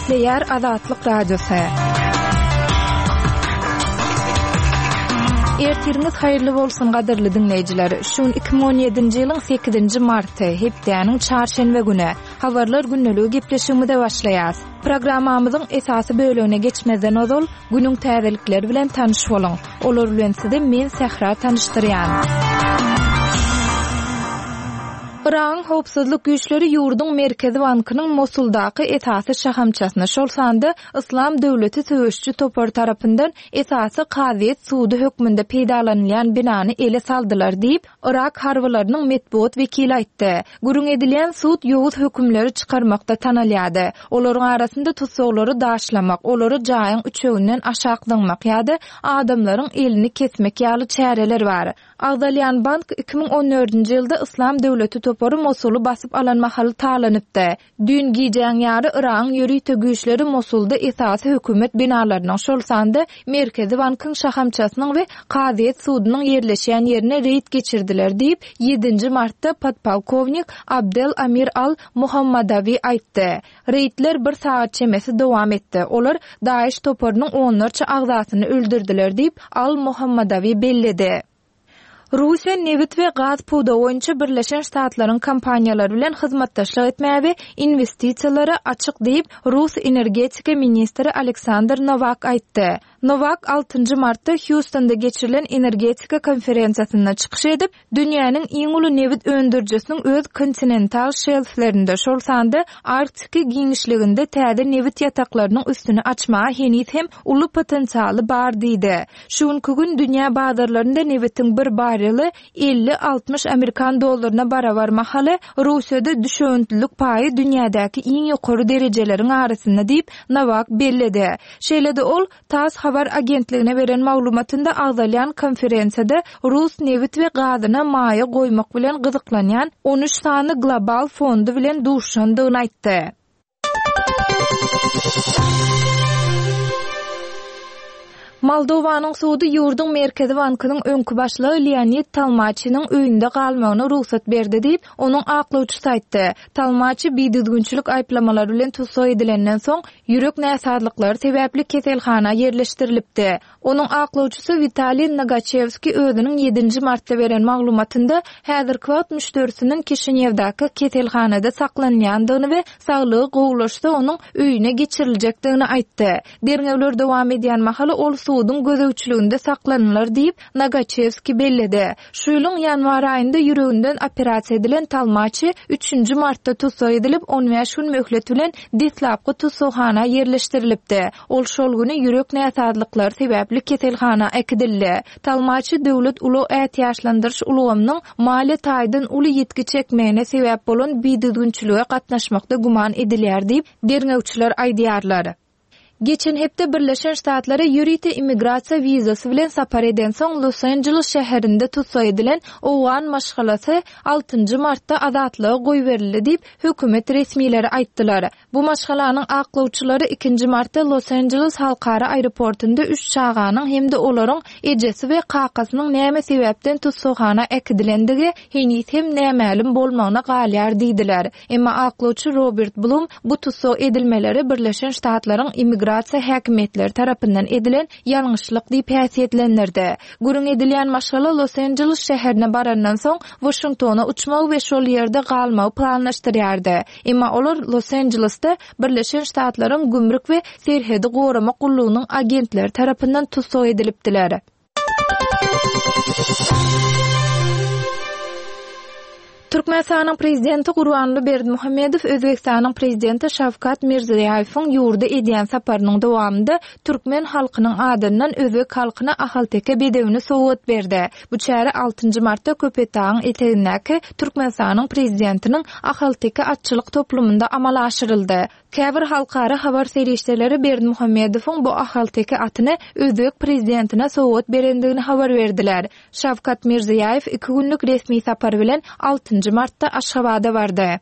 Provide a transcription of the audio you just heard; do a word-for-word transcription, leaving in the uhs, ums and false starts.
Gepleýär Azatlyk Radiosy. Ertiriňiz haýyrly bolsun gadyrly diňleýjiler. Şu gün iki müň on ýedinji ýylyň sekizinji marty, hepdäniň çarşenbe güni. Habarlar gündeligi gepleşigimize başlaýas. Programmamyzyň esasy bölegine geçmezden ozal günüň täzelikleri bilen tanyş boluň. Olar bilen sizi men Sähra tanyşdyrýan. Yragyň howpsuzlyk güýçleri ýurduň Merkezi bankynyň Mosuldaky esasy şahamçasyny, şol sanda Yslam döwleti söweşçi topary tarapyndan esasy kazyýet sudy hökmünde peýdalanylýan binany ele saldylar diýip, Yrak harbylarynyň metbugat wekili aýtdy. Gürrüň edilýän sud ýowuz hökümleri çykarmakda tanalýardy. Olaryň arasynda tussaglary daşlamak, olary jaýyň üçeginden aşak zyňmak ýa-da adamlaryň elini kesmek ýaly çäreler bar. Agzalýan bank iki müň on dördünji ýylda Yslam döwleti topary Mosuly basyp alan mahaly talanypdy. Düýn gijäň ýary Yragyň ýörite güýçleri Mosulda esasy hökümet binalarynyň, şol sanda Merkezi bankyň şahamçasynyň we kazyýet sudunyň ýerleşýän ýerine reýd geçirdiler diýip, ýedinji martda podpolkownik Abdel Amir al-Muhammadawi aýtdy. Reýdler bir sagat çemesi dowam etdi. Olar DAEŞ toparynyň onlarça agzasyny öldürdiler diýip, al-Muhammadawi belledi. Russiýa nebit we gaz pudagy boýunça Birleşen Ştatlaryň kompaniýalary bilen hyzmatdaşlyk etmäge we inwestisiýalara açyk diýip, Rus energetika ministri Aleksandr Nowak aýtdy. Nowak altynjy martda Hýustonda geçirilen energetika konferensiýasynda çykyş edip, dünýäniň iň uly nebit öndürijisiniň öz kontinental şelflerinde, şol sanda Arktiki giňişliginde täze nebit ýataklarynyň üstüni açmaga heniz hem uly potensialy bar diýdi. Şu günki gün dünýä bazarlarynda nebitiň bir barreli elli-altmyş amerikan dollaryna barabar mahaly Russiýada düşewüntlilik paýy dünýädäki iň ýokary derejeleriň arasynda diýip, Nowak belledi. Şeýle-de ol TASS habar agentligine beren maglumatynda agzalýan konferensiýada rus nebit we gazyna maýa goýmak bilen gyzyklanýan on üç sany global fondy bilen duşandygyny aýtdy. Moldowanyň sudy ýurduň Merkezi bankynyň öňki başlygy Leonid Talmaçynyň öýünde galmagyna rugsat berdi diýip, onuň aklawçysy aýtdy. Talmaçy bidüzgünçilik aýyplamalary bilen tussag edilenden soň ýürek näsazlyklary sebäpli keselhana ýerleşdirilipdi. Onuň aklawçysy Witaliý Nagaçewski özüniň ýedinji martda beren maglumatynda häzirki wagt müşderisiniň Kişinýewdäki keselhanada saklanýandygyny we saglygy gowulaşsa onuň öýüne geçiriljekdigini aýtdy. Derňewler dowam edýän mahaly ol suduň gözegçiliginde saklanylar diýip, Nagaçewski belledi. Şu ýylyň ýanwar aýynda ýüreginden operasiýa edilen Talmaçy üçünji martda tussag edilip, on bäş gün möhlet bilen deslapky tussaghana ýerleşdirilipdi. Ol şol güni ýürek näsazlyklary sebäpli keselhana äkidildi. Talmaçy döwlet ulag ätiýaçlandyryş ulgamynyň maliýe taýdan uly ýitgi çekmegine sebäp bolan bidüzgünçilige gatnaşmakda güman edilýär diýip, derňewçiler aýdýarlar. Geçen hepde Birleşen Ştatlara ýörite immigrasiýa wizasy bilen sapar eden soň Los Angeles şäherinde tussag edilen owgan maşgalasy altynjy martda azatlyga goýberildi diýip, hökümet resmileri aýtdylar. Bu maşgalanyň aklawçylary ikinji martda Los Angeles halkara aeroportunda üç çaganyň hem-de olaryň ejesi we kakasynyň näme sebäpden tussaghana äkidilendigi heniz hem nämälim bolmagyna galýar diýdiler. Emma aklawçy Robert Blum bu tussag edilmeleri Birleşen Ştatlaryň immigrasiýa häkimiýetleri tarapyndan edilen ýalňyşlyk diýip häsiýetlendirdi. Gürrüň edilýän maşgala Los Angeles şäherine barandan soň Washingtona uçmagy we şol ýerde galmagy planlaşdyrýardy. Emma olar Los Angelesde Birleşen Ştatlaryň gümrük we serhedi goramak gullugynyň agentleri tarapyndan tussag edilipdiler. Türkmenistanyň prezidenti Gurbanguly Berdimuhamedow Özbekistanyň prezidenti Şawkat Mirziýoýewiň ýurda edýän saparynyň dowamynda türkmen halkynyň adyndan özbek halkyna ahalteke bedewini sowgat berdi. Bu çäre altynjy martda Köpetdagyň etegindäki Türkmenistanyň prezidentiniň ahalteke atçylyk toplumynda amala aşyryldy. Käbir halkara habar serişdeleri Berdimuhamedowyň bu ahalteke atyny özbek prezidentine sowgat berendigini habar berdiler. Şawkat Mirziýoýew iki günlük resmi sapar bilen altynjy martda Aşgabada bardy.